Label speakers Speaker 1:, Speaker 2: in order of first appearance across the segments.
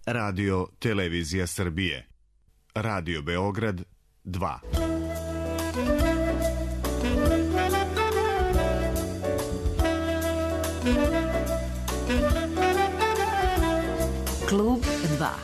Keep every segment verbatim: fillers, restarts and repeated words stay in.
Speaker 1: Radio Televizija Srbije. Radio Beograd dva.
Speaker 2: Klub dva.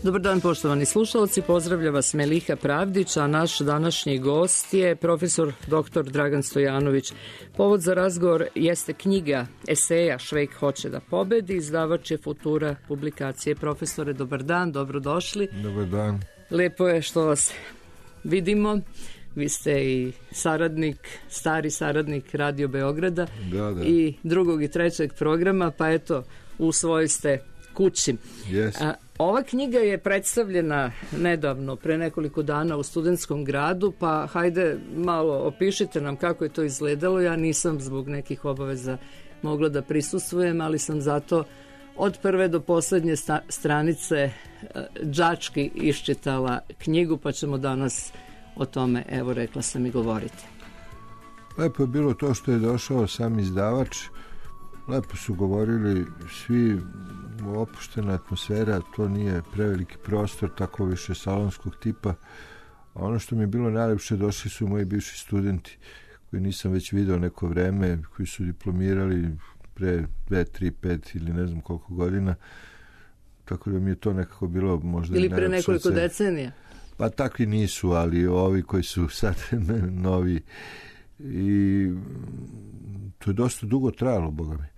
Speaker 3: Dobar dan, poštovani slušalci, pozdravlja vas Meliha Pravdić, a naš današnji gost je profesor doktor Dragan Stojanović. Povod za razgovor jeste knjiga eseja Švejk hoće da pobedi, izdavač je Futura publikacije. Profesore, dobar dan, dobrodošli.
Speaker 4: Dobar dan.
Speaker 3: Lepo je što vas vidimo. Vi ste i saradnik, stari saradnik Radio Beograda,
Speaker 4: da, da.
Speaker 3: i drugog i trećeg programa, pa eto, u svojoj ste kući.
Speaker 4: Yes.
Speaker 3: A, ova knjiga je predstavljena nedavno, pre nekoliko dana u Studentskom gradu, pa hajde malo opišite nam kako je to izgledalo. Ja nisam zbog nekih obaveza mogla da prisustvujem, ali sam zato od prve do poslednje sta- stranice đački iščitala knjigu, pa ćemo danas o tome, evo rekla sam, i govoriti.
Speaker 4: Lepo je bilo to što je došao sam izdavač. Lepo su govorili svi, opuštena atmosfera, to nije preveliki prostor, tako više salonskog tipa. A ono što mi je bilo najlepše, došli su moji bivši studenti koji nisam već video neko vreme, koji su diplomirali pre dve, tri, pet ili ne znam koliko godina. Tako da mi je to nekako bilo možda
Speaker 3: ili pre nekoliko
Speaker 4: se...
Speaker 3: decenija.
Speaker 4: Pa takvi nisu, ali ovi koji su sad novi. I to je dosta dugo trajalo, boga mi.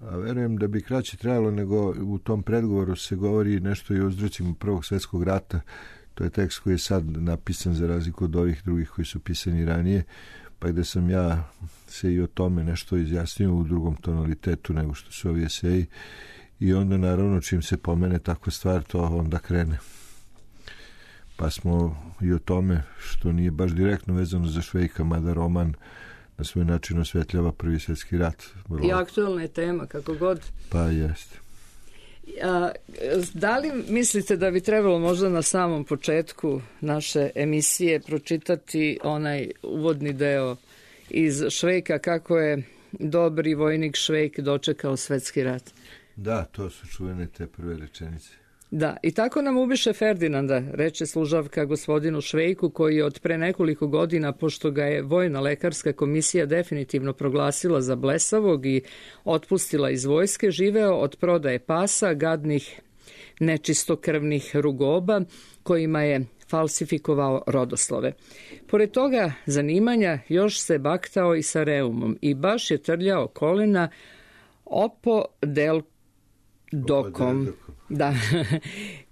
Speaker 4: A verujem da bi kraće trajalo, nego u tom predgovoru se govori nešto i o uzrocima Prvog svjetskog rata. To je tekst koji je sad napisan za razliku od ovih drugih koji su pisani ranije, pa gde sam ja se i o tome nešto izjasnio u drugom tonalitetu nego što su ovi eseji. I onda naravno čim se pomene takva stvar, to onda krene. Pa smo i o tome, što nije baš direktno vezano za Švejka, mada roman na svoj način osvetljava Prvi svjetski rat. Vrlo.
Speaker 3: I aktualna je tema, kako god.
Speaker 4: Pa jeste.
Speaker 3: A, da li mislite da bi trebalo možda na samom početku naše emisije pročitati onaj uvodni deo iz Švejka, kako je dobri vojnik Švejk dočekao svetski rat?
Speaker 4: Da, to su čuvene te prve rečenice.
Speaker 3: Da, i tako nam ubiše Ferdinanda, reče služavka gospodinu Švejku, koji je od pre nekoliko godina, pošto ga je vojna lekarska komisija definitivno proglasila za blesavog i otpustila iz vojske, živeo od prodaje pasa, gadnih nečistokrvnih rugoba, kojima je falsifikovao rodoslove. Pored toga zanimanja još se baktao i sa reumom i baš je trljao kolena opodeldokom. Da,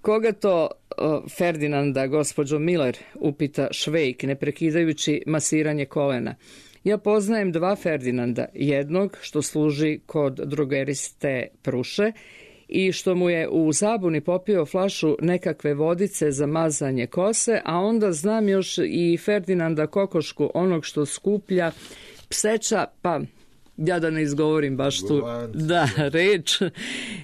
Speaker 3: koga to o, Ferdinanda, gospođo Miller, upita Švejk, ne prekidajući masiranje kolena. Ja poznajem dva Ferdinanda, jednog što služi kod drogeriste Pruše i što mu je u zabuni popio flašu nekakve vodice za mazanje kose, a onda znam još i Ferdinanda Kokošku, onog što skuplja pseća, pa... ja da ne izgovorim baš tu da, reč,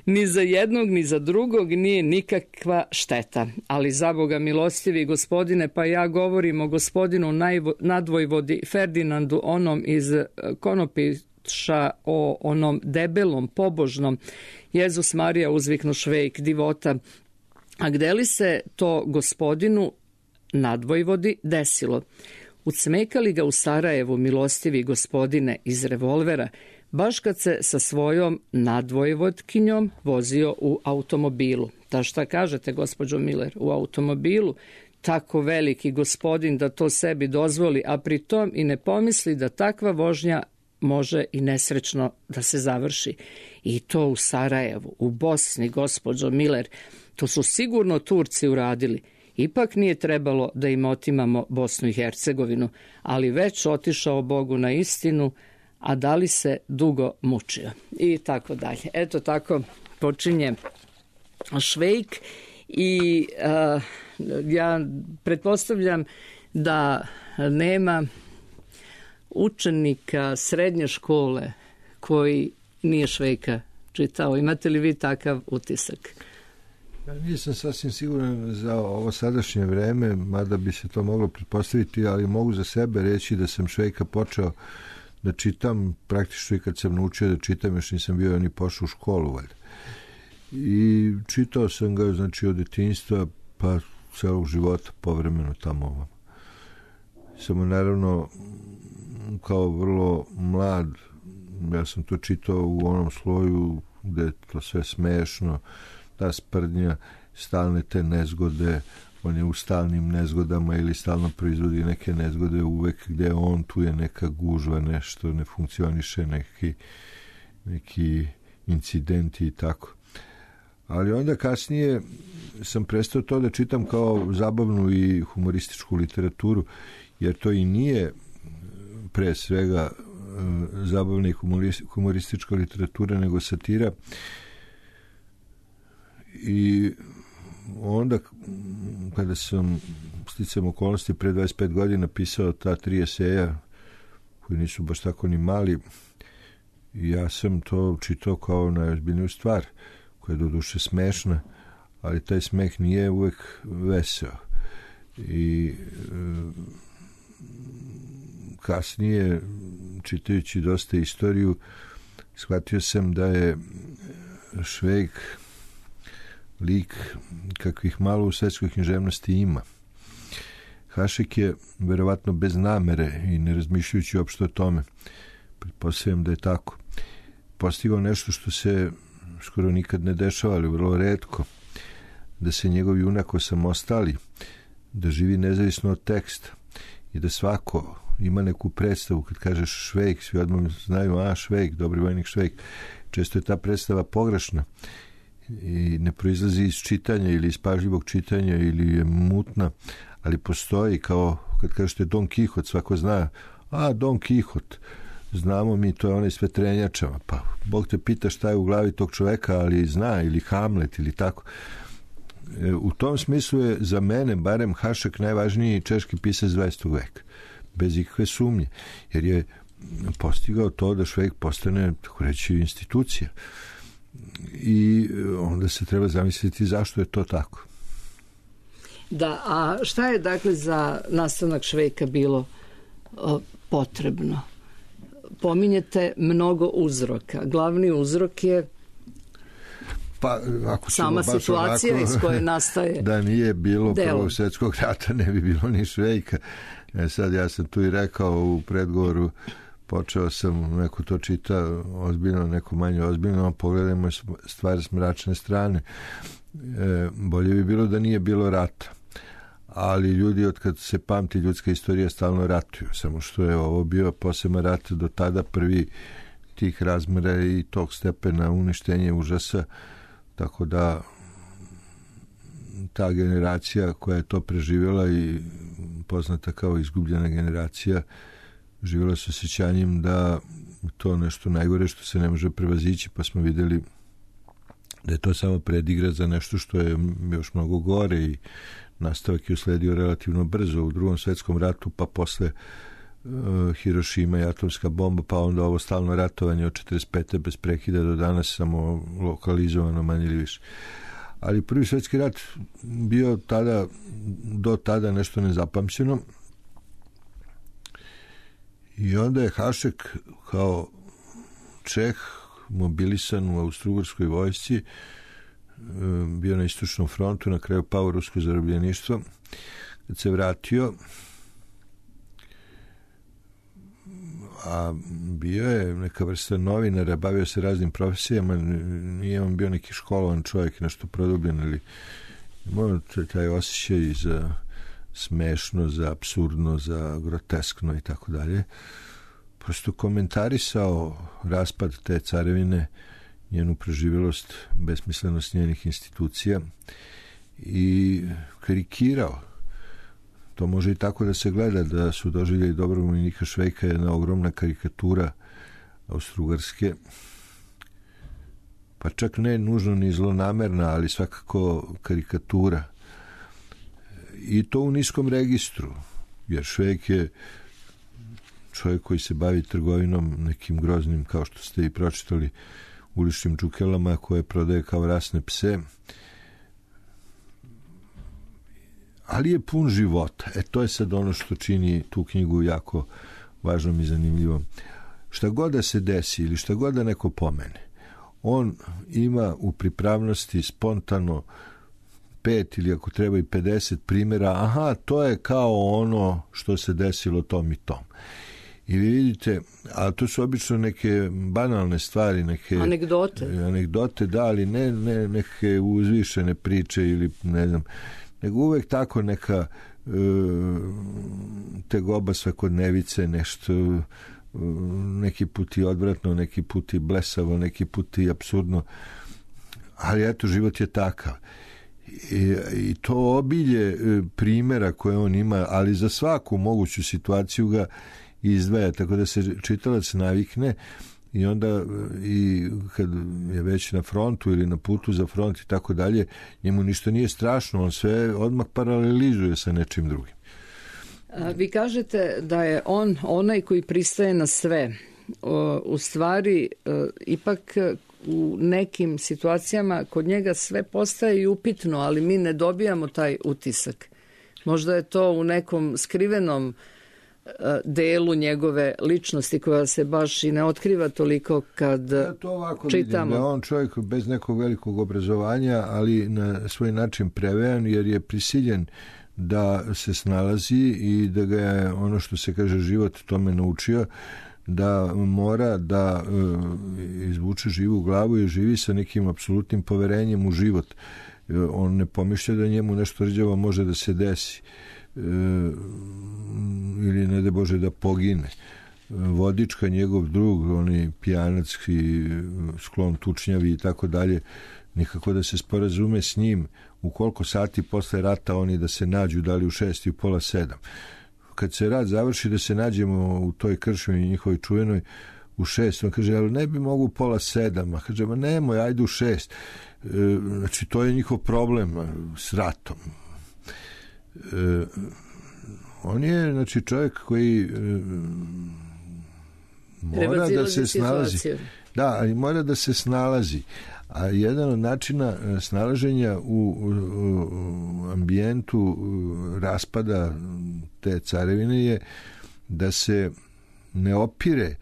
Speaker 3: ni za jednog ni za drugog nije nikakva šteta. Ali za Boga milostivi gospodine, pa ja govorim o gospodinu najvo, nadvojvodi Ferdinandu, onom iz Konopiša, o onom debelom, pobožnom. Jezus Marija, uzviknu Švejk, divota. A gde li se to gospodinu nadvojvodi desilo? Ucmekali ga u Sarajevu, milostivi gospodine, iz revolvera, baš kad se sa svojom nadvojvodkinjom vozio u automobilu. Ta šta kažete, gospođo Miller, u automobilu? Tako veliki gospodin da to sebi dozvoli, a pri tom i ne pomisli da takva vožnja može i nesrećno da se završi. I to u Sarajevu, u Bosni, gospođo Miller, to su sigurno Turci uradili. Ipak nije trebalo da im otimamo Bosnu i Hercegovinu, ali već otišao Bogu na istinu, a da li se dugo mučio? I tako dalje. Eto tako počinje Švejk i uh, ja pretpostavljam da nema učenika srednje škole koji nije Švejka čitao. Imate li vi takav utisak?
Speaker 4: Ja nisam sasvim siguran za ovo sadašnje vreme, mada bi se to moglo pretpostaviti, ali mogu za sebe reći da sam Švejka počeo da čitam praktično i kad sam naučio da čitam, još nisam bio ni pošao u školu, valjda. I čitao sam ga, znači, od detinjstva pa celog života povremeno tamo ovom. Samo naravno kao vrlo mlad, ja sam to čitao u onom sloju gde je to sve smešno, ta sprdnja, stalne te nezgode, on je u stalnim nezgodama ili stalno proizvodi neke nezgode, uvek gde on, tu je neka gužva, nešto ne funkcioniše, neki, neki incidenti i tako. Ali onda kasnije sam prestao to da čitam kao zabavnu i humorističku literaturu, jer to i nije pre svega zabavna i humoristička literatura, nego satira. I onda kada sam sticajem okolnosti pre dvadeset pet godina pisao ta tri eseja koji nisu baš tako ni mali, ja sam to čitao kao najozbiljniju stvar, koja je do duše smešna, ali taj smeh nije uvek veseo. I e, kasnije, čitajući dosta istoriju, shvatio sam da je Švejk lik kakvih malo u svetskoj književnosti ima. Hašek je verovatno bez namere i ne razmišljajući uopšte o tome, pretpostavljam da je tako, postigao nešto što se skoro nikad ne dešava, ali vrlo retko, da se njegov junak osamostali, da živi nezavisno od teksta i da svako ima neku predstavu. Kad kažeš Švejk, svi odmah znaju, a Švejk, dobri vojnik Švejk. Često je ta predstava pogrešna i ne proizlazi iz čitanja ili iz pažljivog čitanja ili je mutna, ali postoji, kao kad kažete Don Kihot, svako zna, a Don Kihot, znamo mi, to je onaj s vetrenjačama, pa Bog te pita šta je u glavi tog čoveka, ali zna, ili Hamlet ili tako. E, u tom smislu je za mene barem Hašek najvažniji češki pisac dvadesetog veka, bez ikakve sumnje, jer je postigao to da Švejk postane, tako reći, institucija. I onda se treba zamisliti zašto je to tako.
Speaker 3: Da, a šta je dakle za nastanak Švejka bilo o, potrebno? Pominjete mnogo uzroka. Glavni uzrok je
Speaker 4: pa, ako
Speaker 3: sama situacija
Speaker 4: ovako,
Speaker 3: iz koje nastaje
Speaker 4: da nije bilo Prvog svjetskog rata, ne bi bilo ni Švejka. E sad, ja sam tu i rekao u predgovoru, počeo sam, neko to čita ozbiljno, neko manje ozbiljno, pogledajmo stvari s mračne strane. E, bolje bi bilo da nije bilo rata. Ali ljudi, od kad se pamti ljudska istorija, stalno ratuju. Samo što je ovo bio poseban rat do tada, prvi tih razmera i tog stepena uništenja užasa. Tako da ta generacija koja je to preživjela i poznata kao izgubljena generacija, živjela s osjećanjem da to nešto najgore što se ne može prevazići, pa smo vidjeli da je to samo predigra za nešto što je još mnogo gore i nastavak je usledio relativno brzo u Drugom svjetskom ratu, pa posle uh, Hirošima i atomska bomba, pa onda ovo stalno ratovanje od četrdeset pete bez prekida do danas, samo lokalizovano manje ili više. Ali Prvi svjetski rat bio tada, do tada nešto nezapamćeno. I onda je Hašek kao Čeh mobilisan u Austro-Ugarskoj vojsci, bio na istočnom frontu, na kraju pao u rusko zarobljeništvo. Kad se vratio, a bio je neka vrsta novinara, bavio se raznim profesijama, nije on bio neki školovan čovjek, nešto produbljen, ali imao taj osjećaj za smešno, za apsurdno, za groteskno i tako dalje. Prosto komentarisao raspad te carevine, njenu preživjelost, besmislenost njenih institucija i karikirao. To može i tako da se gleda, da su doživljeli dobrog vojnika Švejka jedna ogromna karikatura Austro-Ugarske, pa čak ne nužno ni zlonamerna, ali svakako karikatura. I to u niskom registru, jer Švejk je čovjek koji se bavi trgovinom nekim groznim, kao što ste i pročitali, uličnim čukelama koje prodaje kao rasne pse. Ali je pun života. E, to je sad ono što čini tu knjigu jako važnom i zanimljivom. Šta god da se desi ili šta god da neko pomene, on ima u pripravnosti spontano pet ili ako treba i pedeset primjera, aha, to je kao ono što se desilo tom i tom. I vi vidite, a to su obično neke banalne stvari, neke
Speaker 3: anegdote,
Speaker 4: anegdote da, ali ne, ne neke uzvišene priče ili ne znam, nego uvek tako neka e, tegoba svakodnevice, nešto neki put i odvratno, neki put i blesavo, neki put i apsurdno, ali eto, život je takav. I, i to obilje primjera koje on ima, ali za svaku moguću situaciju ga izdvaja, tako da se čitalac navikne i onda i kad je već na frontu ili na putu za front i tako dalje, njemu ništa nije strašno, on sve odmah paralelizuje sa nečim drugim.
Speaker 3: Vi kažete da je on onaj koji pristaje na sve. U stvari, ipak u nekim situacijama kod njega sve postaje i upitno, ali mi ne dobijamo taj utisak. Možda je to u nekom skrivenom delu njegove ličnosti koja se baš i ne otkriva toliko kad ja to ovako čitamo.
Speaker 4: Vidim da on čovjek bez nekog velikog obrazovanja, ali na svoj način prevejan, jer je prisiljen da se snalazi i da ga je ono što se kaže život tome naučio, da mora da e, izvuče živu glavu i živi sa nekim apsolutnim poverenjem u život. E, on ne pomišlja da njemu nešto rđavo može da se desi e, ili ne da Bože da pogine. E, Vodička, njegov drug, oni pijanac i sklon tučnjavi i tako dalje, nikako da se sporazume s njim u koliko sati posle rata oni da se nađu, da li u šest i u pola sedam. Kad se rat završi da se nađemo u toj kršmi njihovoj čuvenoj u šest, on kaže, ali ne bi mogu pola sedam, a kaže, ma nemoj, ajde u šest. E, znači, to je njihov problem s ratom. E, on je, znači, čovjek koji e, mora da se snalazi. Da, ali mora da se snalazi. A jedan od načina snalaženja u, u, u ambijentu raspada te carevine je da se ne opire,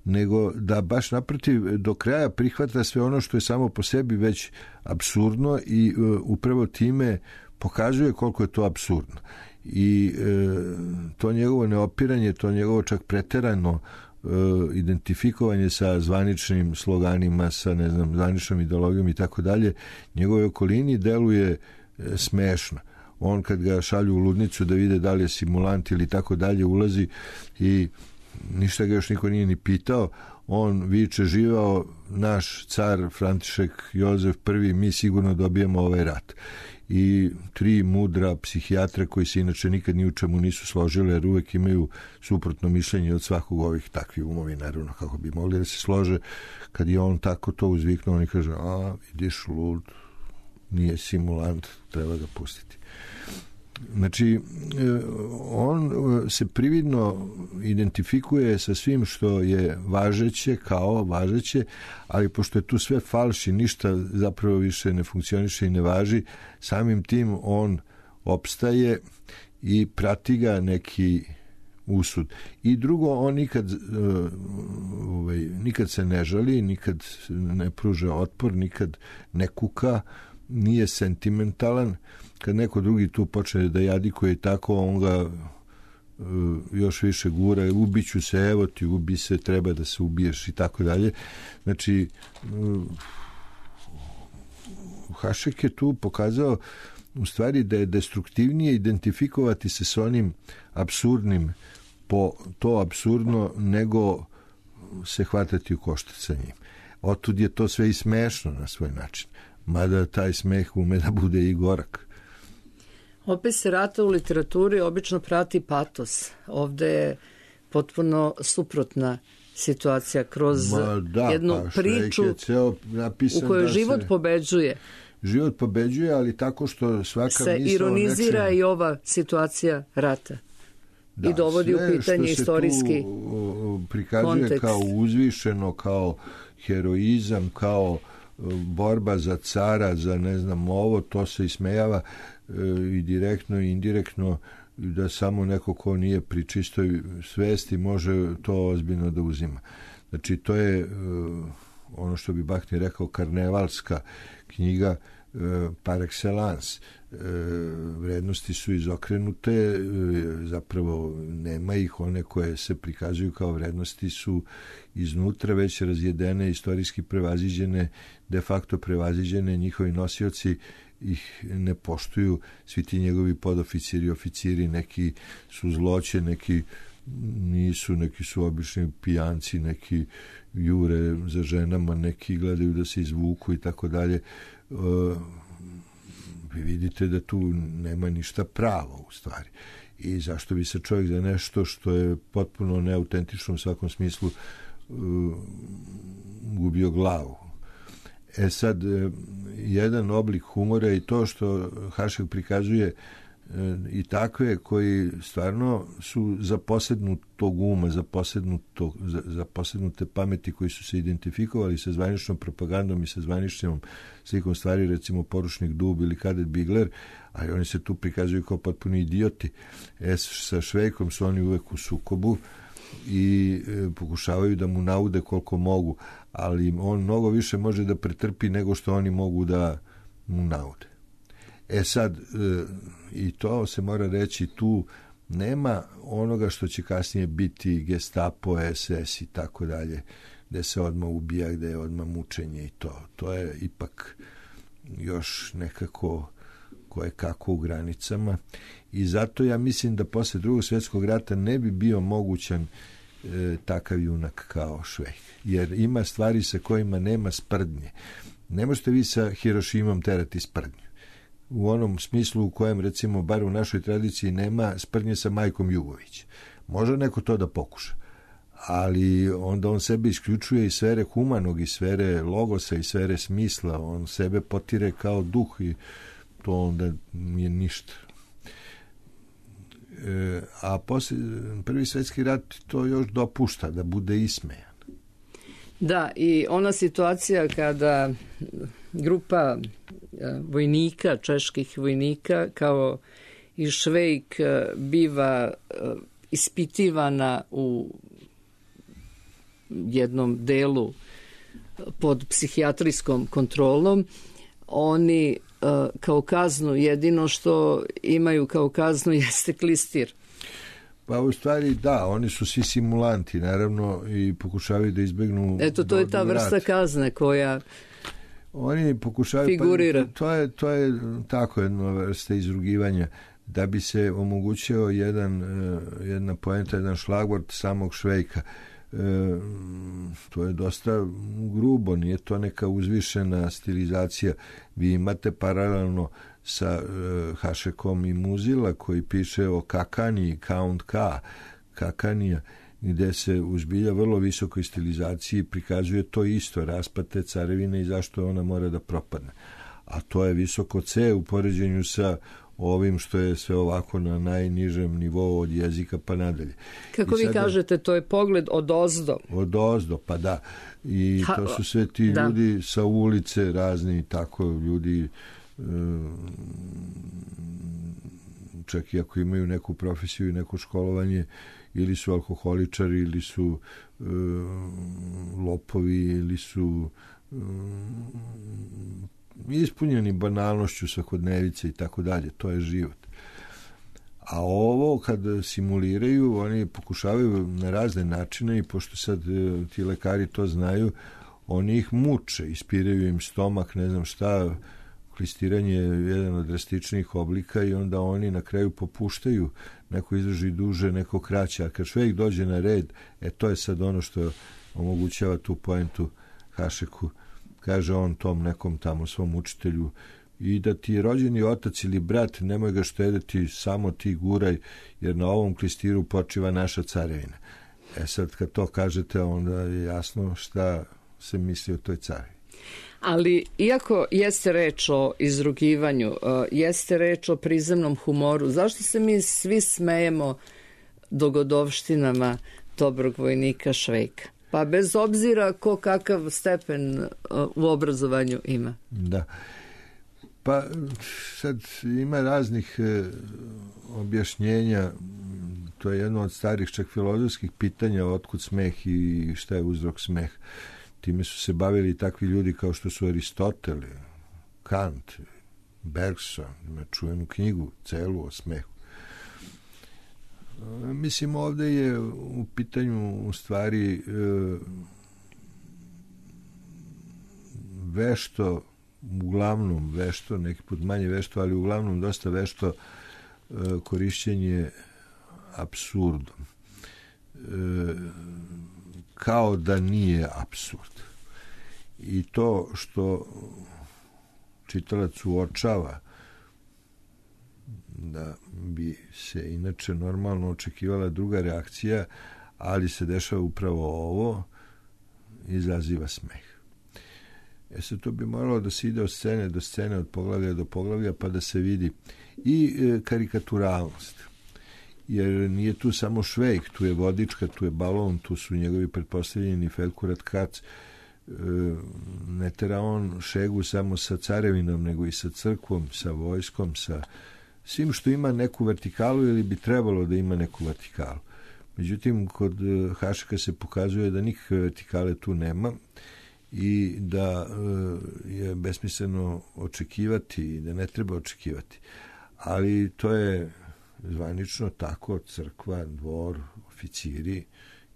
Speaker 4: nego da baš naprotiv do kraja prihvata sve ono što je samo po sebi već apsurdno i uh, upravo time pokazuje koliko je to apsurdno. I uh, to njegovo neopiranje, to njegovo čak preterano identifikovanje sa zvaničnim sloganima, sa ne znam, zvaničnom ideologijom i tako dalje, njegove okolini deluje smešno. On kad ga šalju u ludnicu da vide da li je simulant ili tako dalje, ulazi i ništa ga još niko nije ni pitao, on viče, živao naš car František Jozef prvi, mi sigurno dobijemo ovaj rat. I tri mudra psihijatra koji se inače nikad ni u čemu nisu složile, jer uvek imaju suprotno mišljenje od svakog ovih takvih umovi, naravno, kako bi mogli da se slože. Kad je on tako to uzviknuo, oni kaže, a, vidiš, lud, nije simulant, treba ga pustiti. Znači, on se prividno identifikuje sa svim što je važeće, kao važeće, ali pošto je tu sve falš i ništa zapravo više ne funkcioniše i ne važi, samim tim on opstaje i prati ga neki usud. I drugo, on nikad, ovaj, nikad se ne žali, nikad ne pruža otpor, nikad ne kuka, nije sentimentalan. Kad neko drugi tu počne da jadikuje tako, on ga uh, još više gura, ubiću se, evo ti, ubi se, treba da se ubiješ i tako dalje. Znači, uh, Hašek je tu pokazao u stvari da je destruktivnije identifikovati se s onim apsurdnim po to apsurdno nego se hvatati u koštac sa njim. Otud je to sve i smešno na svoj način. Mada taj smeh ume da bude i gorak.
Speaker 3: Opis rata u literaturi obično prati patos. Ovde je potpuno suprotna situacija kroz
Speaker 4: da,
Speaker 3: jednu
Speaker 4: pa,
Speaker 3: priču u kojoj život se... pobeđuje.
Speaker 4: Život pobeđuje, ali tako što svaka
Speaker 3: se
Speaker 4: misla
Speaker 3: ironizira
Speaker 4: nečem...
Speaker 3: i ova situacija rata. Da, i dovodi u pitanje istorijski
Speaker 4: tu prikazuje
Speaker 3: kontekst.
Speaker 4: Kao uzvišeno, kao heroizam, kao borba za cara, za ne znam ovo, to se ismejava e, i direktno i indirektno, da samo neko ko nije pri čistoj svesti može to ozbiljno da uzima. Znači to je e, ono što bi Bakhtin rekao karnevalska knjiga e, par excellence. E, vrednosti su izokrenute, e, zapravo nema ih, one koje se prikazuju kao vrednosti su iznutra već razjedene, istorijski prevaziđene, de facto prevaziđene, njihovi nosioci ih ne poštuju, svi ti njegovi podoficiri, oficiri, neki su zloće, neki nisu, neki su obični pijanci, neki jure za ženama, neki gledaju da se izvuku i tako dalje. Vi vidite da tu nema ništa pravo u stvari. I zašto bi se čovjek za nešto što je potpuno neautentično u svakom smislu uh, gubio glavu. E sad, jedan oblik humora je to što Hašek prikazuje i takve koji stvarno su za posednutog uma, za, posednuto, za, za posednute pameti koji su se identifikovali sa zvaničnom propagandom i sa zvaničnom slikom stvari, recimo Poručnik Dub ili Kadet Bigler, ali oni se tu prikazuju kao potpuni idioti. E, sa Švejkom su oni uvek u sukobu i e, pokušavaju da mu naude koliko mogu, ali on mnogo više može da pretrpi nego što oni mogu da mu naude. E sad, e, i to se mora reći, tu nema onoga što će kasnije biti Gestapo, es es i tako dalje, gde se odmah ubija, gde je odmah mučenje i to. To je ipak još nekako koje kako u granicama i zato ja mislim da posle drugog svjetskog rata ne bi bio mogućan e, takav junak kao Švejk, jer ima stvari sa kojima nema sprdnje. Ne možete vi sa Hirošimom terati sprdnju. U onom smislu u kojem, recimo, bar u našoj tradiciji nema sprdnje sa majkom Jugović. Može neko to da pokuša, ali onda on sebe isključuje iz sfere humanog, iz sfere logosa, iz sfere smisla. On sebe potire kao duh i to onda nije ništa. E, a posle, prvi svjetski rat to još dopušta da bude ismejan.
Speaker 3: Da, i ona situacija kada grupa vojnika, čeških vojnika, kao i Švejk, biva ispitivana u jednom delu pod psihijatrijskom kontrolom, oni kao kaznu, jedino što imaju kao kaznu jeste klistir.
Speaker 4: Pa u stvari da, oni su svi simulanti, naravno, i pokušavaju da izbegnu...
Speaker 3: Eto, to je ta vrsta kazne koja
Speaker 4: oni pokušavaju,
Speaker 3: figurira.
Speaker 4: Pa, to, je, to je tako jedna vrsta izrugivanja, da bi se omogućio jedan, jedna poenta, jedan šlagvort samog Švejka. E, to je dosta grubo, nije to neka uzvišena stilizacija. Vi imate paralelno sa e, Hašekom i Muzila koji piše o Kakaniji, Count K, Kakanija, gde se uzbilja vrlo visokoj stilizaciji prikazuje to isto, raspad te carevine i zašto ona mora da propadne. A to je visoko C u poređenju sa ovim što je sve ovako na najnižem nivou od jezika pa nadalje.
Speaker 3: Kako vi kažete, to je pogled od ozdo.
Speaker 4: Od ozdo, pa da. I ha, to su sve ti da. ljudi sa ulice razni, tako ljudi čak i ako imaju neku profesiju i neko školovanje, ili su alkoholičari, ili su e, lopovi, ili su e, ispunjeni banalnošću svakodnevice i tako dalje. To je život. A ovo kad simuliraju, oni pokušavaju na razne načine i pošto sad e, ti lekari to znaju, oni ih muče, ispiraju im stomak, ne znam šta. Klistiranje je jedan od drastičnijih oblika i onda oni na kraju popuštaju, neko izdrži duže, neko kraće, a kad Švejk dođe na red, e to je sad ono što omogućava tu poentu Hašeku, kaže on tom nekom tamo svom učitelju, i da ti rođeni otac ili brat nemoj ga štediti, samo ti guraj, jer na ovom klistiru počiva naša carevina. E sad kad to kažete, onda je jasno šta se misli o toj carevini.
Speaker 3: Ali, iako jeste reč o izrugivanju, jeste reč o prizemnom humoru, zašto se mi svi smejemo dogodovštinama dobrog vojnika Švejka. Pa bez obzira ko kakav stepen u obrazovanju ima.
Speaker 4: Da. Pa sad ima raznih e, objašnjenja. To je jedno od starih čak filozofskih pitanja otkud smeh i šta je uzrok smeh. Time su se bavili takvi ljudi kao što su Aristotel, Kant, Bergson, ima čuvenu knjigu celu o smehu. Mislim, ovde je u pitanju u stvari e, vešto, uglavnom vešto, neki put manje vešto, ali uglavnom dosta vešto e, korišćenje apsurdom. E, kao da nije apsurd. I to što čitalac uočava da bi se inače normalno očekivala druga reakcija, ali se dešava upravo ovo, izaziva smeh. E sad, to bi moralo da se ide od scene do scene, od poglavlja do poglavlja, pa da se vidi i e, karikaturalnost. Jer nije tu samo Švejk, tu je Vodička, tu je Balon, tu su njegovi pretpostavljeni Felkurat Kac. E, ne tera on šegu samo sa carevinom, nego i sa crkvom, sa vojskom, sa svim što ima neku vertikalu ili bi trebalo da ima neku vertikalu. Međutim, kod Hašeka se pokazuje da nikakve vertikale tu nema i da e, je besmisleno očekivati i da ne treba očekivati. Ali to je zvanično tako, crkva, dvor, oficiri.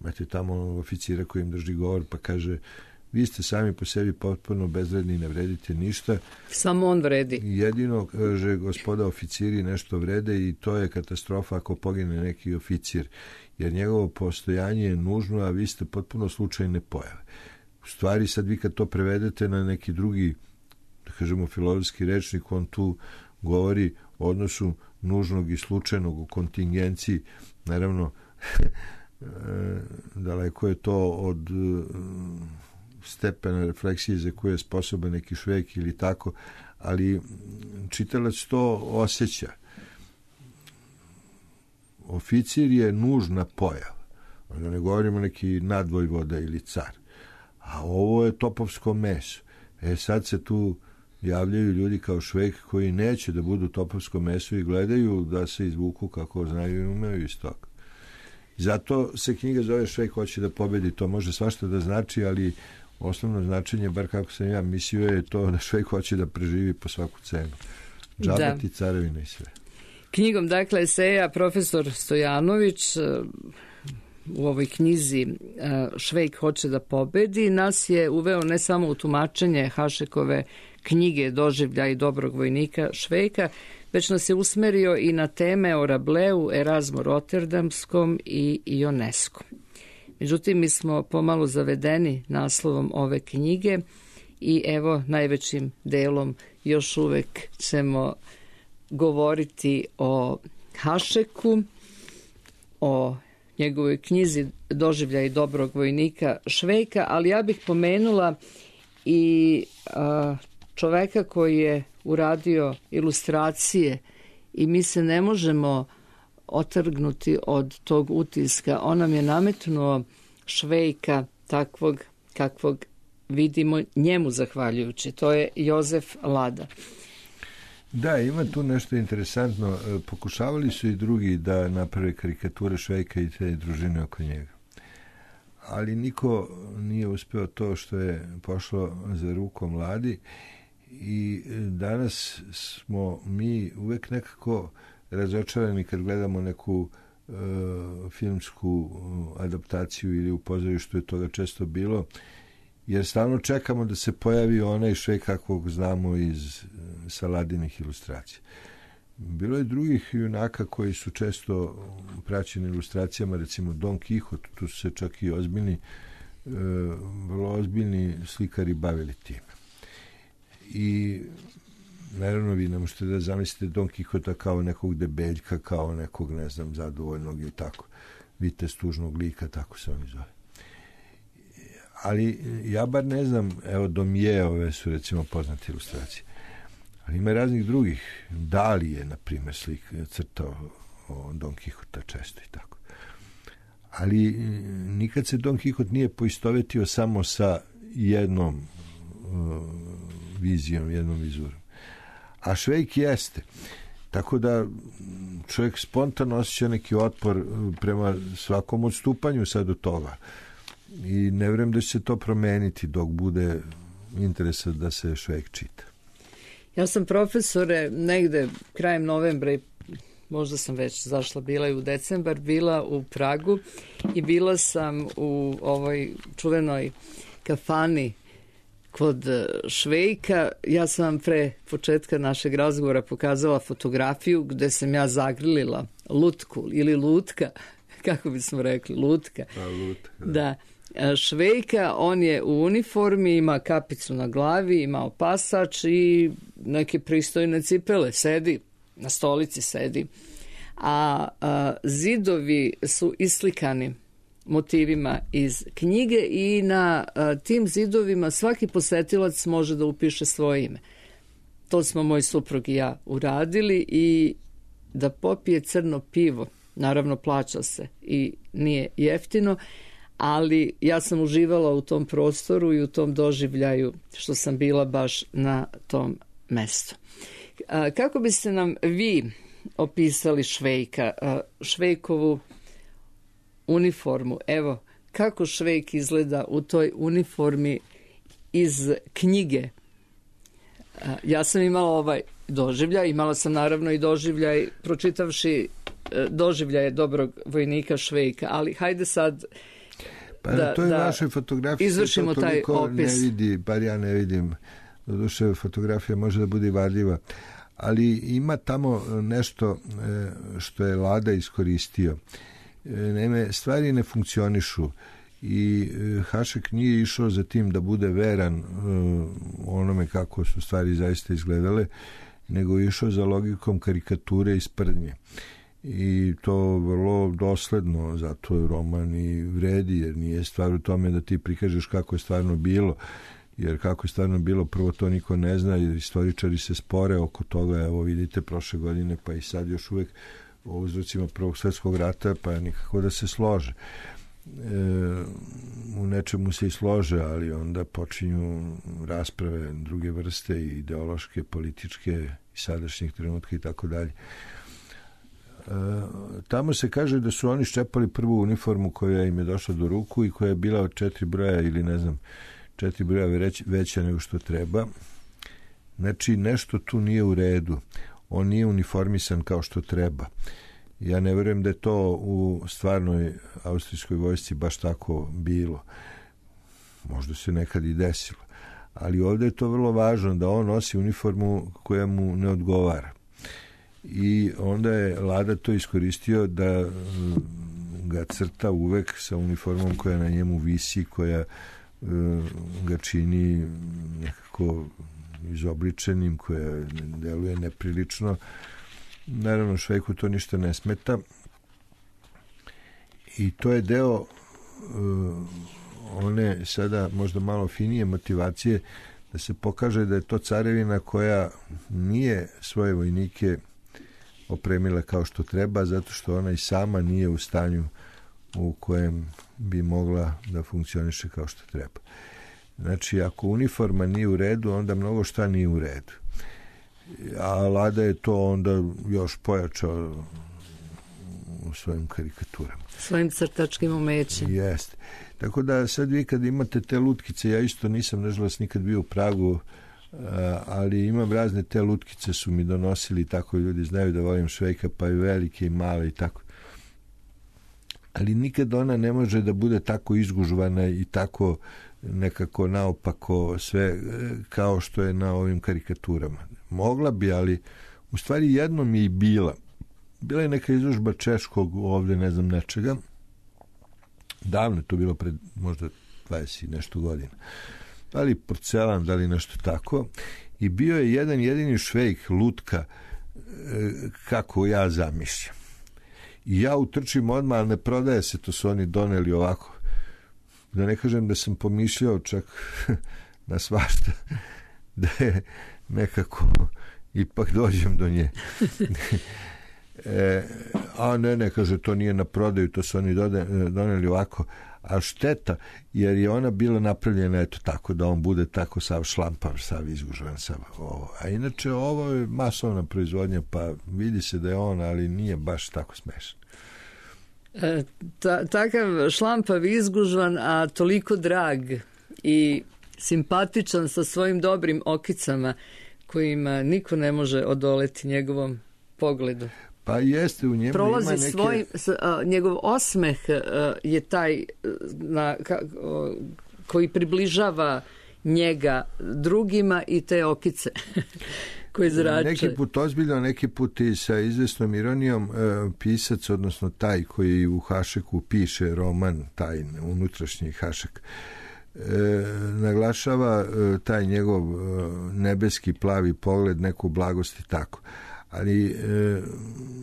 Speaker 4: Imate tamo oficira koji im drži govor pa kaže: vi ste sami po sebi potpuno bezvredni, ne vredite ništa.
Speaker 3: Samo on vredi.
Speaker 4: Jedino, kaže, gospoda oficiri nešto vrede i to je katastrofa ako pogine neki oficir, jer njegovo postojanje je nužno, a vi ste potpuno slučajne pojave. U stvari, sad vi kad to prevedete na neki drugi, da kažemo, filozofski rečnik, on tu govori o odnosu nužnog i slučajnog u kontingenciji. Naravno, daleko je to od stepena refleksije za koje je sposoban neki Švejk ili tako, ali čitalac to osjeća. Oficir je nužna pojava. Da ne govorimo neki nadvojvoda ili car. A ovo je topovsko meso. E sad se tu javljaju ljudi kao Švejk koji neće da budu topovsko meso i gledaju da se izvuku kako znaju i umeju iz toga. Zato se knjiga zove Švejk hoće da pobedi. To može svašta da znači, ali osnovno značenje, bar kako sam ja mislio, je to da Švejk hoće da preživi po svaku cenu. Džabati, carevina i sve.
Speaker 3: Knjigom, dakle, eseja profesor Stojanović u ovoj knjizi Švejk hoće da pobedi nas je uveo ne samo u tumačenje Hašekove knjige Doživljaj dobrog vojnika Švejka, već nas je usmerio i na teme o Rableu, Erazmu Roterdamskom i Ioneskom. Međutim, mi smo pomalo zavedeni naslovom ove knjige i evo, najvećim delom još uvek ćemo govoriti o Hašeku, o njegovoj knjizi Doživljaj dobrog vojnika Švejka, ali ja bih pomenula i a, čoveka koji je uradio ilustracije i mi se ne možemo otrgnuti od tog utiska. On nam je nametnuo Švejka takvog kakvog vidimo njemu zahvaljujući. To je Jozef Lada.
Speaker 4: Da, ima tu nešto interesantno. Pokušavali su i drugi da naprave karikature Švejka i te družine oko njega. Ali niko nije uspeo to što je pošlo za rukom Ladi i danas smo mi uvek nekako razočarani kad gledamo neku e, filmsku adaptaciju ili u pozorištu je toga često bilo, jer stalno čekamo da se pojavi onaj Švejk kakvog znamo iz Saladinih ilustracija. Bilo je drugih junaka koji su često praćeni ilustracijama, recimo Don Quixote, tu su se čak i ozbiljni, e, vrlo ozbiljni slikari bavili time. I naravno vi ne možete da zamislite Don Quixota kao nekog debeljka, kao nekog, ne znam, zadovoljnog ili tako, vitez tužnog lika, tako se oni zove. Ali ja bar ne znam, evo Domije, ove su recimo poznate ilustracije. Ali ima raznih drugih. Dali je, na primjer, slik crtao o Don Quixota često i tako. ali nikad se Don Quixote nije poistovetio samo sa jednom uh, vizijom, jednom vizurom. A Švejk jeste. Tako da čovjek spontano osjeća neki otpor prema svakom odstupanju sad od toga. I ne vjerujem da će se to promeniti dok bude interesa da se Švejk čita.
Speaker 3: Ja sam, profesore, negde krajem novembra, možda sam već zašla, bila i u decembar, bila u Pragu i bila sam u ovoj čuvenoj kafani kod Švejka. Ja sam vam pre početka našeg razgovora pokazala fotografiju gde sam ja zagrlila lutku ili lutka, kako bismo rekli, lutka.
Speaker 4: A, lutka, da.
Speaker 3: Da. Švejka, on je u uniformi, ima kapicu na glavi, ima opasač i neke pristojne cipele, sedi, na stolici sedi. A, a zidovi su islikani motivima iz knjige i na a, tim zidovima svaki posetilac može da upiše svoje ime. To smo moj suprug i ja uradili i da popije crno pivo, naravno plaća se i nije jeftino, ali ja sam uživala u tom prostoru i u tom doživljaju što sam bila baš na tom mestu. A, kako biste nam vi opisali Švejka, a, Švejkovu uniformu? Evo, kako Švejk izgleda u toj uniformi iz knjige? A, ja sam imala ovaj doživljaj, imala sam naravno i doživljaj pročitavši doživljaje dobrog vojnika Švejka, ali hajde sad
Speaker 4: pa
Speaker 3: da,
Speaker 4: to je
Speaker 3: da
Speaker 4: našoj fotografiji
Speaker 3: izvršimo
Speaker 4: to
Speaker 3: taj opis.
Speaker 4: Ne vidi, bar ja ne vidim. Doduše, fotografija može da bude varljiva, ali ima tamo nešto što je Lada iskoristio. Naime, stvari ne funkcionišu i Hašek nije išao za tim da bude veran onome kako su stvari zaista izgledale, nego išao za logikom karikature i sprdnje. I to vrlo dosledno, zato je roman i vredi, jer nije stvar u tome da ti prikažeš kako je stvarno bilo, jer kako je stvarno bilo, prvo to niko ne zna, jer istoričari se spore oko toga. Evo vidite, prošle godine, pa i sad još uvek o uzrocima Prvog svjetskog rata, pa nikako da se slože. E, u nečemu se i slože, ali onda počinju rasprave druge vrste, i ideološke, političke, i sadašnjih trenutka i tako dalje. Tamo se kaže da su oni ščepali prvu uniformu koja im je došla do ruku i koja je bila od četiri broja ili ne znam, četiri broja veća nego što treba. Znači, nešto tu nije u redu. On nije uniformisan kao što treba. Ja ne vjerujem da je to u stvarnoj austrijskoj vojsci baš tako bilo. Možda se nekad i desilo. Ali ovdje je to vrlo važno, da on nosi uniformu koja mu ne odgovara. I onda je Lada to iskoristio da ga crta uvek sa uniformom koja na njemu visi, koja ga čini nekako izobličenim, koja deluje neprilično. Naravno, Švejku to ništa ne smeta. I to je deo one sada možda malo finije motivacije da se pokaže da je to carevina koja nije svoje vojnike opremila kao što treba, zato što ona i sama nije u stanju u kojem bi mogla da funkcioniše kao što treba. Znači, ako uniforma nije u redu, onda mnogo šta nije u redu. A Lada je to onda još pojačao u svojim karikaturama.
Speaker 3: Svojim crtačkim umećem.
Speaker 4: Jeste. Tako da sad vi kad imate te lutkice, ja isto nisam nažalost nikad bio u Pragu, ali imam razne te lutkice, su mi donosili, tako ljudi znaju da volim Švejka, pa i velike i male i tako. Ali nikad ona ne može da bude tako izgužvana i tako nekako naopako sve kao što je na ovim karikaturama. Mogla bi, ali u stvari jednom je i bila. Bila je neka izložba češkog ovdje, ne znam, nečega. Davno je to bilo pred možda dvadeset i nešto godina. Da li porcelan, da li nešto tako. I bio je jedan jedini Švejk, lutka, kako ja zamišljam. I ja utrčim odmah, ali ne prodaje se, to su oni doneli ovako. Da ne kažem da sam pomišljao čak na svašta, da je nekako ipak dođem do nje. E, a ne, ne, kaže, to nije na prodaju, to su oni doneli ovako, a šteta, jer je ona bila napravljena eto tako, da on bude tako sav šlampav, sav izgužvan, sav ovo. A inače, ovo je masovna proizvodnja, pa vidi se da je on, ali nije baš tako smešan.
Speaker 3: E, ta, takav šlampav, izgužvan, a toliko drag i simpatičan sa svojim dobrim okicama, kojima niko ne može odoleti njegovom pogledu.
Speaker 4: Pa jeste, u njemu
Speaker 3: prolazi
Speaker 4: ima neke...
Speaker 3: svoj, uh, njegov osmeh uh, je taj uh, na, ka, uh, koji približava njega drugima i te okice koje zrače.
Speaker 4: Neki put ozbiljno, neki put i sa izvesnom ironijom uh, pisac, odnosno taj koji u Hašeku piše roman, taj unutrašnji Hašek, E, naglašava e, taj njegov e, nebeski plavi pogled, neku blagost i tako. Ali e,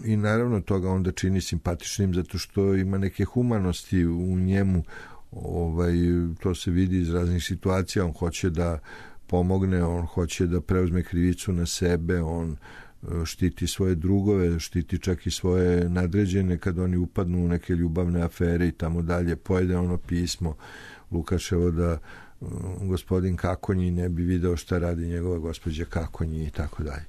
Speaker 4: i naravno toga onda čini simpatičnim zato što ima neke humanosti u njemu. Ovaj, to se vidi iz raznih situacija. On hoće da pomogne, on hoće da preuzme krivicu na sebe, on e, štiti svoje drugove, štiti čak i svoje nadređene kad oni upadnu u neke ljubavne afere i tamo dalje. Pojede ono pismo Lukaševo da um, gospodin Kakonji ne bi video šta radi njegova gospođa Kakonji i tako dalje.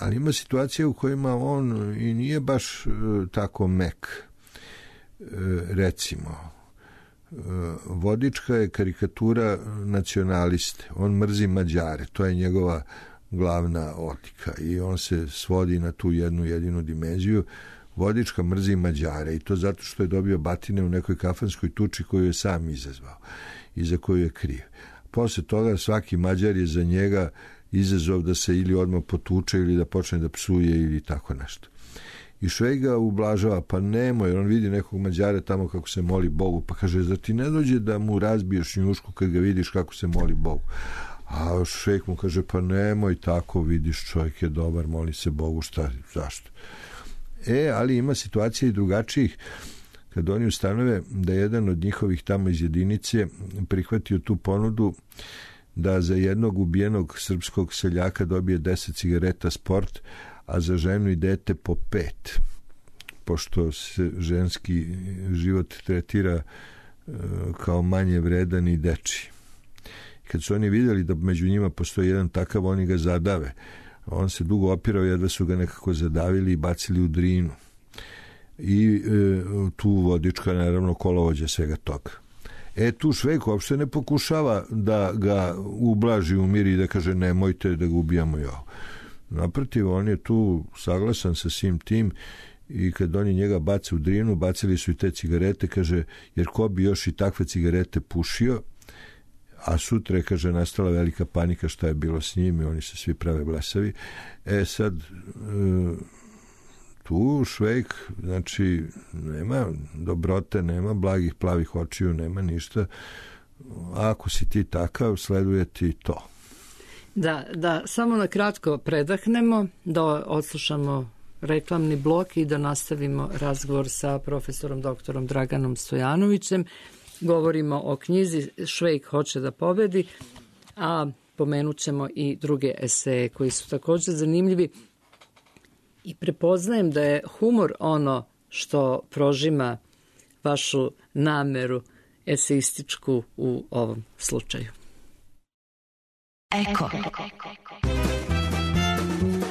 Speaker 4: Ali ima situacije u kojima on i nije baš uh, tako mek. Uh, recimo, uh, Vodička je karikatura nacionaliste. On mrzi Mađare. To je njegova glavna odlika i on se svodi na tu jednu jedinu dimenziju. Vodička mrzi Mađare i to zato što je dobio batine u nekoj kafanskoj tuči koju je sam izazvao i za koju je kriv. Posle toga svaki Mađar je za njega izazov da se ili odmah potuče ili da počne da psuje ili tako nešto. I Švejk ga ublažava, pa nemoj, jer on vidi nekog Mađara tamo kako se moli Bogu, pa kaže, zar ti ne dođe da mu razbiješ njušku kad ga vidiš kako se moli Bogu? A Švejk mu kaže, pa nemoj tako, vidiš, čovjek je dobar, moli se Bogu, šta, zašto? E, ali ima situacija i drugačijih, kad oni ustanove da jedan od njihovih tamo iz jedinice prihvatio tu ponudu da za jednog ubijenog srpskog seljaka dobije deset cigareta Sport, a za ženu i dete po pet, pošto se ženski život tretira kao manje vredan i dečiji. Kad su oni vidjeli da među njima postoji jedan takav, oni ga zadave. On se dugo opirao, jedva su ga nekako zadavili i bacili u Drinu. I e, tu Vodička, naravno, kolovođa svega toga. E, tu Švejk uopšte ne pokušava da ga ublaži, umiri i da kaže nemojte da ga ubijamo i ovo. Naprotiv, on je tu saglasan sa svim tim i kad oni njega bace u Drinu, bacili su i te cigarete, kaže, jer ko bi još i takve cigarete pušio, a sutra je, kaže, nastala velika panika šta je bilo s njim i oni se svi prave blesavi. E sad, tu Švejk, znači, nema dobrote, nema blagih plavih očiju, nema ništa. Ako si ti takav, sleduje ti to.
Speaker 3: Da, da, samo na kratko predahnemo, da odslušamo reklamni blok i da nastavimo razgovor sa profesorom doktorom Draganom Stojanovićem. Govorimo o knjizi Švejk hoće da pobedi, a pomenut ćemo i druge eseje koji su također zanimljivi i prepoznajem da je humor ono što prožima vašu nameru eseističku u ovom slučaju.
Speaker 2: Eko.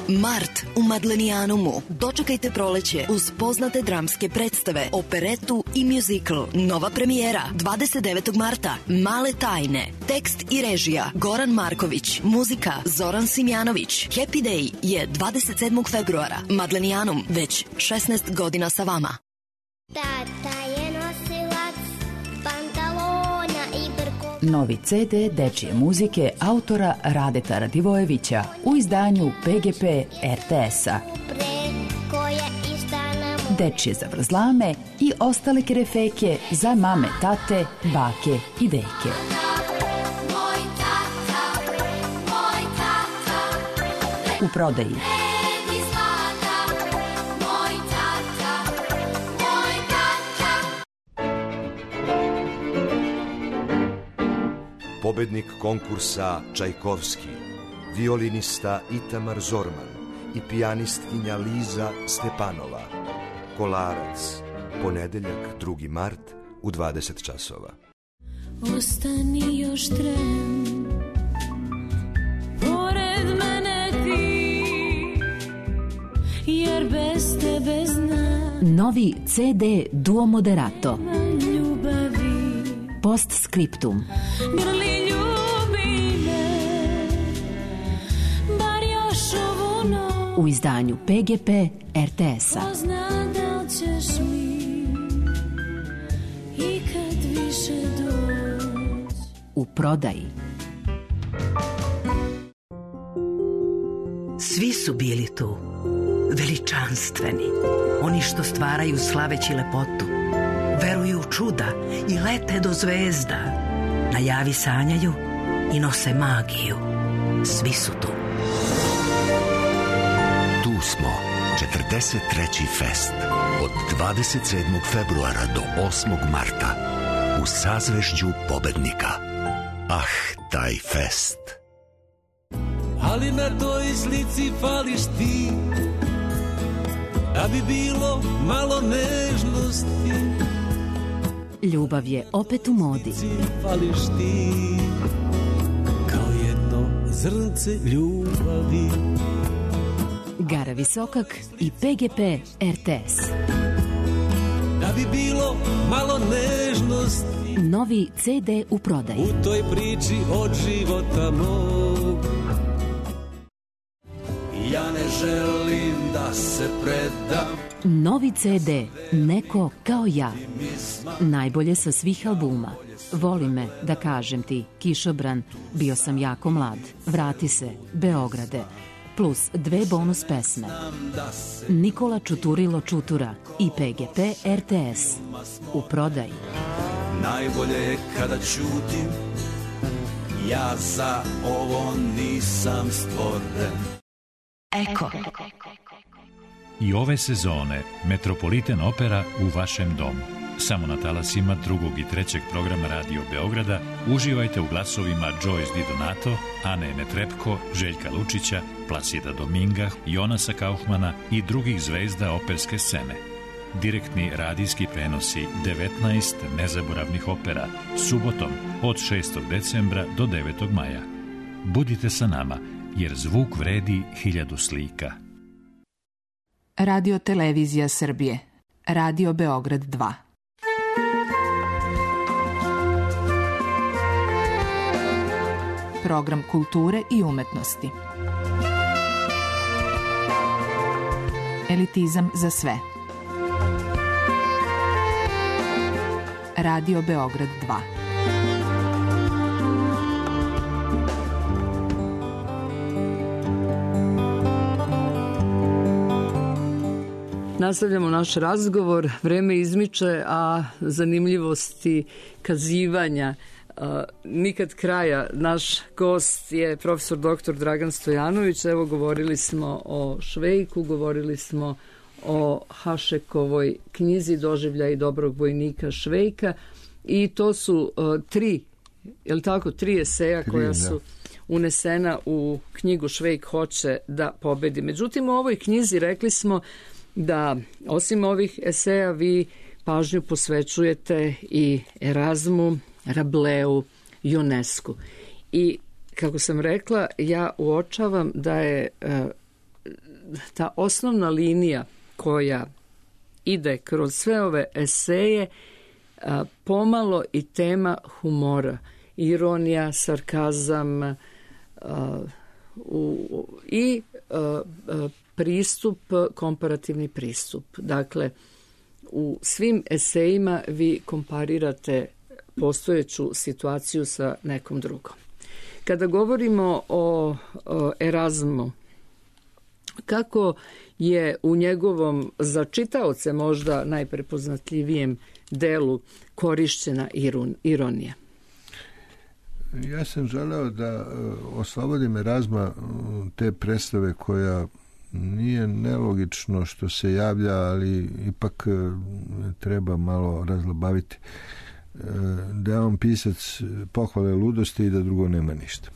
Speaker 2: Mart u Madlenijanumu. Dočekajte proleće uz poznate dramske predstave, operetu i muzikl. Nova premijera dvadeset devetog marta. Male tajne. Tekst i režija Goran Marković. Muzika Zoran Simjanović. Happy Day je dvadeset sedmog februara. Madlenijanum već šesnaest godina sa vama.
Speaker 5: Tata je nosilac pantalona i brko.
Speaker 6: Novi ce de dečije muzike autora Radeta Radivojevića u izdanju pe ge pe er te es-a. Dečije zavrzlame i ostale kerefeke za mame, tate, bake i deke. U prodaji
Speaker 7: pobednik konkursa Čajkovski, violinista Itamar Zorman i pijanistkinja Liza Stepanova. Kolarac, ponedeljak, drugi mart u dvadeset časova.
Speaker 8: Ostani još tren, pored mene ti, jer bez tebe znam.
Speaker 6: Novi ce de Duo Moderato.
Speaker 8: Ljubavi.
Speaker 6: Postscriptum.
Speaker 8: Grli ljubi me, bar još ovu noć.
Speaker 6: U izdanju pe ge pe er te es-a.
Speaker 8: Ko zna da li ćeš mi ikad više doći.
Speaker 6: U prodaji.
Speaker 9: Svi su bili tu, veličanstveni, oni što stvaraju slaveći lepotu, veruju u čuda i lete do zvezda, na javi sanjaju i nose magiju. Svi su tu.
Speaker 10: Tu smo, četrdeset treći fest, od dvadeset sedmog februara do osmog marta, u sazvežđu pobednika. Ah, taj fest!
Speaker 11: Ali na toj slici fališ ti, da bi bilo malo nežnosti.
Speaker 6: Ljubav je opet u modi.
Speaker 11: Fališ ti, kao jedno zrnce ljubavi.
Speaker 6: Gara Visokak i pe ge pe er te es.
Speaker 11: Da bi bilo malo nežnosti.
Speaker 6: Novi ce de u prodaji.
Speaker 11: U toj priči od života mog. Ja ne želim da se predam.
Speaker 6: Novi ce de Neko kao ja. Najbolje sa svih albuma. Voli me, da kažem ti, Kišobran, Bio sam jako mlad, Vrati se, Beograde, plus dve bonus pesme. Nikola Čuturilo Čutura i pe ge pe er te es. U prodaji.
Speaker 11: Najbolje je kada ćutim, ja za ovo nisam stvoren.
Speaker 6: Eko.
Speaker 12: I ove sezone Metropolitan Opera u vašem domu. Samo na talasima drugog i trećeg programa Radio Beograda uživajte u glasovima Joyce Di Donato, Ane Netrepko, Željka Lučića, Placida Dominga, Jonasa Kaufmana i drugih zvezda operske scene. Direktni radijski prenosi devetnaest nezaboravnih opera subotom od šestog decembra do devetog maja. Budite sa nama, jer zvuk vredi hiljadu slika.
Speaker 13: Radio Televizija Srbije. Radio Beograd dva. Program kulture i umetnosti. Elitizam za sve. Radio Beograd dva.
Speaker 3: Nastavljamo naš razgovor, vreme izmiče, a zanimljivosti kazivanja a, nikad kraja. Naš gost je profesor doktor Dragan Stojanović. Evo, govorili smo o Švejku, govorili smo o Hašekovoj knjizi Doživljaj dobrog vojnika Švejka i to su a, tri, je li tako, tri eseja tri, koja su unesena u knjigu Švejk hoće da pobedi. Međutim, u ovoj knjizi rekli smo da osim ovih eseja vi pažnju posvećujete i Erazmu, Rableu, Ionescu. I kako sam rekla, ja uočavam da je e, ta osnovna linija koja ide kroz sve ove eseje a, pomalo i tema humora, ironija, sarkazam a, u, i a, a, pristup, komparativni pristup. Dakle, u svim esejima vi komparirate postojeću situaciju sa nekom drugom. Kada govorimo o, o Erazmu, kako je u njegovom za čitaoce možda najprepoznatljivijem delu korišćena irun, ironija?
Speaker 4: Ja sam želeo da oslobodim Erazma te predstave koja nije nelogično što se javlja, ali ipak treba malo razlabaviti. Da je on pisac pohvale ludosti i da drugo nema ništa.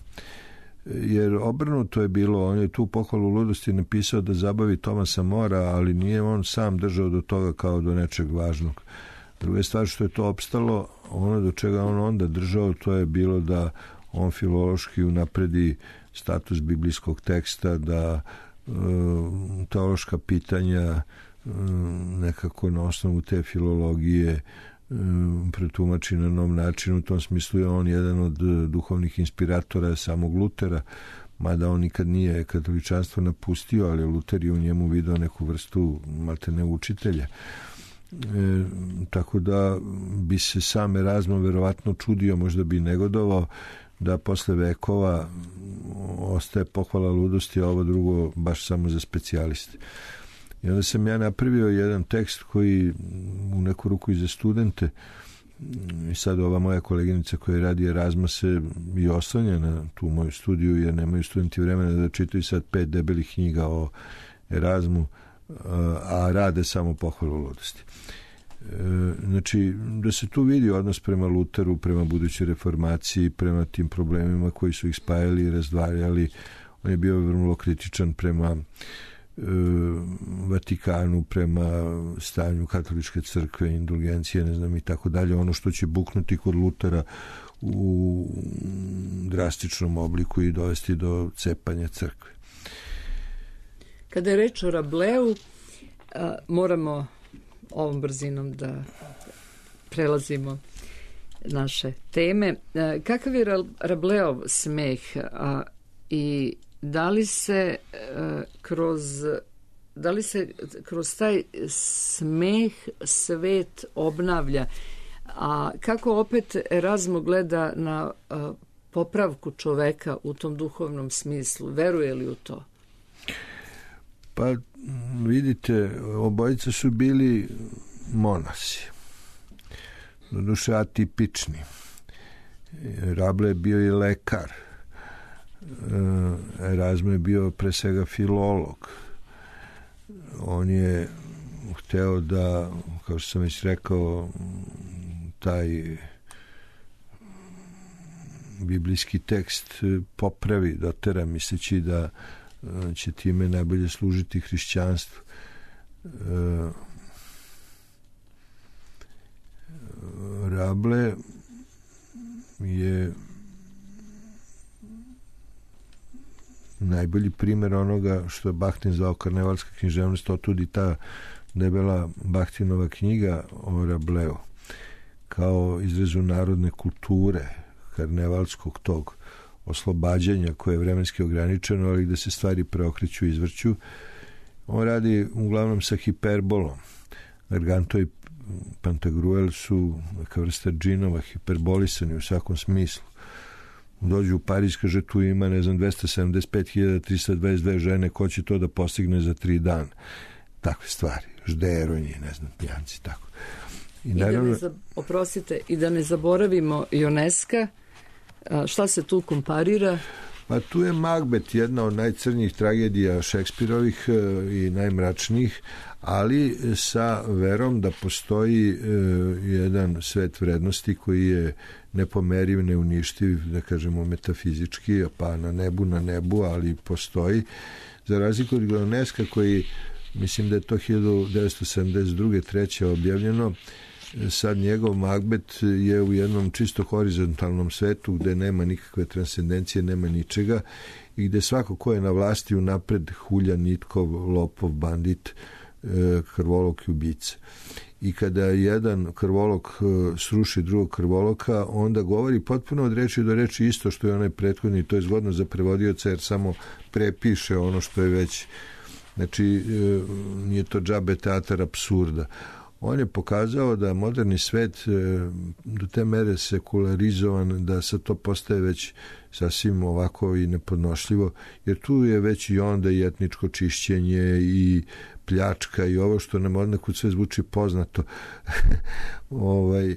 Speaker 4: jer obrnuto je bilo, on je tu pohvalu ludosti napisao da zabavi Tomasa Mora, ali nije on sam držao do toga kao do nečeg važnog. Druga stvar što je to opstalo, ono do čega on onda držao, to je bilo da on filološki unapredi status biblijskog teksta, da e, teološka pitanja e, nekako na osnovu te filologije e, pretumači na nov način. U tom smislu je on jedan od duhovnih inspiratora samog Lutera, mada on nikad nije katoličanstvo napustio, ali Luter je u njemu video neku vrstu maltene učitelja. E, tako da bi se sam Erazmo verovatno čudio, možda bi negodovao da posle vekova ostaje pohvala ludosti, a ovo drugo baš samo za specijaliste. I onda sam ja napravio jedan tekst koji u neku ruku i za studente, i sad ova moja koleginica koja radi Erazma se i oslanja na tu moju studiju, jer nemaju studenti vremena da čitaju sad pet debelih knjiga o Erazmu, a rade samo pohvalu ludosti. Znači, da se tu vidi odnos prema Luteru, prema budućoj reformaciji, prema tim problemima koji su ih spajali i razdvajali. On je bio vrlo kritičan prema e, Vatikanu, prema stanju katoličke crkve, indulgencije, ne znam, i tako dalje. Ono što će buknuti kod Lutera u drastičnom obliku i dovesti do cepanja crkve.
Speaker 3: Kada je reč o Rableu, a, moramo ovom brzinom da prelazimo naše teme. A, kakav je Rableov smeh, a, i da li se a, kroz da li se kroz taj smeh svet obnavlja, a kako opet Erazmo gleda na a, popravku čoveka u tom duhovnom smislu? Veruje li u to?
Speaker 4: Pa vidite, obojica su bili monasi, doduše atipični. Rable je bio i lekar, Erazmo je bio pre svega filolog. On je hteo da, kao što sam već rekao, taj biblijski tekst popravi, dotera, misleći da će time najbolje služiti hrišćanstvu. Rable je najbolji primjer onoga što je Bahtin zvao karnevalska književnost, otud i ta debela Bahtinova knjiga o Rableu kao izrazu narodne kulture, karnevalskog tog oslobađanja koje je vremenski ograničeno, ali gde se stvari preokreću i izvrću. On radi uglavnom sa hiperbolom. Garganto i Pantagruel su neka vrsta džinova, hiperbolisani u svakom smislu. Dođu u Pariz, kaže, tu ima, ne znam, dvesta sedamdeset pet hiljada trista dvadeset dve žene, ko će to da postigne za tri dana? Takve stvari. Žderonji, ne znam, pijanci, tako.
Speaker 3: I, I naravno, da ne za, oprostite, i da ne zaboravimo Ioneska. A šta se tu komparira?
Speaker 4: Pa tu je Macbeth, jedna od najcrnjih tragedija Šekspirovih i najmračnijih, ali sa verom da postoji jedan svet vrednosti koji je nepomeriv, neuništiv, da kažemo metafizički, pa na nebu, na nebu, ali postoji. Za razliku od Ioneska koji, mislim da je to hiljadu devetsto sedamdeset druge treće objavljeno, sad njegov Macbeth je u jednom čisto horizontalnom svetu gde nema nikakve transcendencije, nema ničega i gde svako ko je na vlasti unapred hulja, nitkov, lopov, bandit, krvolok i ubica. I kada jedan krvolok sruši drugog krvoloka, onda govori potpuno od reči do reči isto što je onaj prethodni. To je zgodno za prevodioca jer samo prepiše ono što je već, znači nije to džabe teatar apsurda. On je pokazao da moderni svet do te mere sekularizovan da sad to postaje već sasvim ovako i nepodnošljivo, jer tu je već i onda i etničko čišćenje i pljačka i ovo što nam odnekud sve zvuči poznato. ovaj,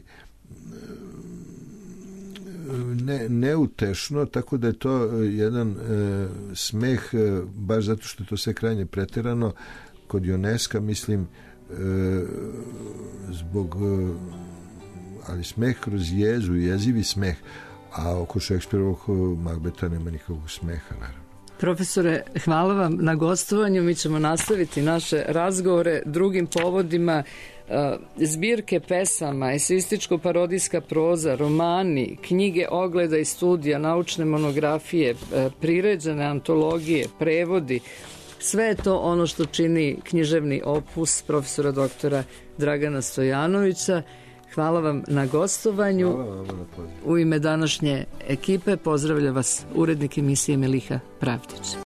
Speaker 4: ne, neutešno, tako da je to jedan e, smeh, e, baš zato što je to sve krajnje preterano. Kod Ioneska, mislim, E, zbog ali smeh kroz jezu, jezivi smeh, A oko Šekspirovog Magbeta nema nikakvog smeha, naravno.
Speaker 3: Profesore, hvala vam na gostovanju. Mi ćemo nastaviti naše razgovore drugim povodima. Zbirke pesama, eseističko-parodijska proza, romani, knjige ogleda i studija, naučne monografije, priređene antologije, prevodi, sve je to ono što čini književni opus profesora doktora Dragana Stojanovića. Hvala vam na gostovanju.
Speaker 4: Hvala vam na pozivu.
Speaker 3: U ime današnje ekipe pozdravlja vas urednik emisije Meliha Pravdić.